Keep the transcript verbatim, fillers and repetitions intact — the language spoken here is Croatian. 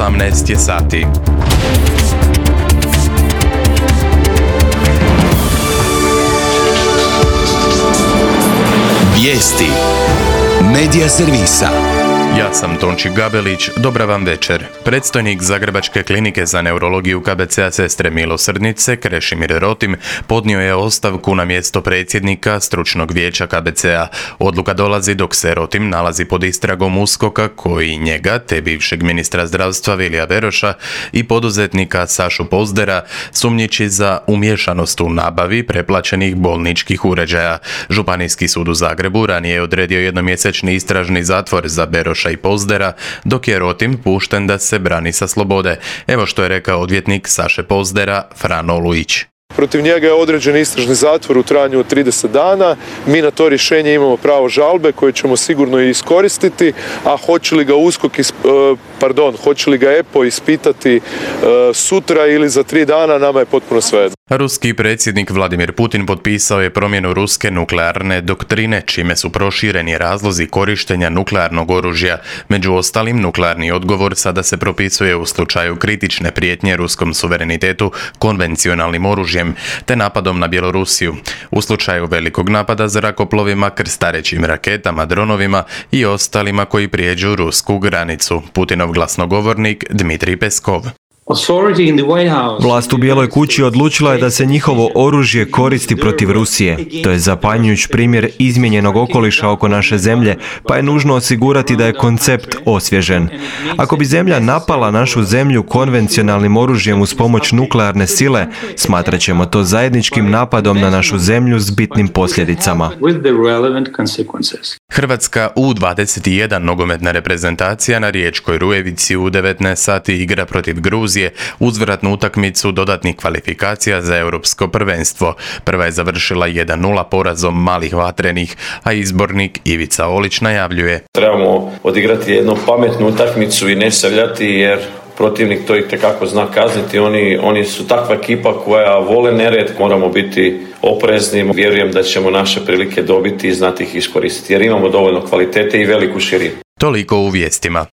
osamnaest je sati. Vijesti Medija servisa. Ja sam Tonči Gabelić, dobra vam večer. Predstojnik Zagrebačke klinike za neurologiju K B C-a Sestre milosrdnice, Krešimir Rotim, podnio je ostavku na mjesto predsjednika stručnog vijeća K B C-a. Odluka dolazi dok se Rotim nalazi pod istragom USKOK-a koji njega, te bivšeg ministra zdravstva Vilija Beroša i poduzetnika Sašu Pozdera, sumnjiči za umiješanost u nabavi preplaćenih bolničkih uređaja. Županijski sud u Zagrebu ranije je odredio jednomjesečni istražni zatvor za Beroša i Pozdera, dok je Rotim pušten da se brani sa slobode. Evo što je rekao odvjetnik Saše Pozdera, Frano Lujić. Protiv njega je određen istražni zatvor u trajanju od trideset dana. Mi na to rješenje imamo pravo žalbe koje ćemo sigurno i iskoristiti, a hoće li ga USKOK, pardon, hoće li ga E P O ispitati sutra ili za tri dana, nama je potpuno svejedno. Ruski predsjednik Vladimir Putin potpisao je promjenu ruske nuklearne doktrine, čime su prošireni razlozi korištenja nuklearnog oružja. Među ostalim, nuklearni odgovor sada se propisuje u slučaju kritične prijetnje ruskom suverenitetu konvencionalnim oružjem, te napadom na Bjelorusiju. U slučaju velikog napada zrakoplovima, krstarećim raketama, dronovima i ostalima koji prijeđu rusku granicu. Putinov glasnogovornik Dmitrij Peskov. Vlast u Bijeloj kući odlučila je da se njihovo oružje koristi protiv Rusije. To je zapanjujuć primjer izmijenjenog okoliša oko naše zemlje, pa je nužno osigurati da je koncept osvježen. Ako bi zemlja napala našu zemlju konvencionalnim oružjem uz pomoć nuklearne sile, smatrat ćemo to zajedničkim napadom na našu zemlju s bitnim posljedicama. Hrvatska U dvadeset jedan nogometna reprezentacija na Riječkoj Rujevici u devetnaest sati igra protiv Gruzije uzvratnu utakmicu dodatnih kvalifikacija za europsko prvenstvo. Prva je završila jedan nula porazom malih vatrenih, a izbornik Ivica Olić najavljuje: trebamo odigrati jednu pametnu utakmicu i ne savljati, jer protivnik to itekako zna kazniti. Oni, oni su takva ekipa koja vole nered. Moramo biti oprezni. Vjerujem da ćemo naše prilike dobiti i znati ih iskoristiti, jer imamo dovoljno kvalitete i veliku širinu. Toliko u vijestima.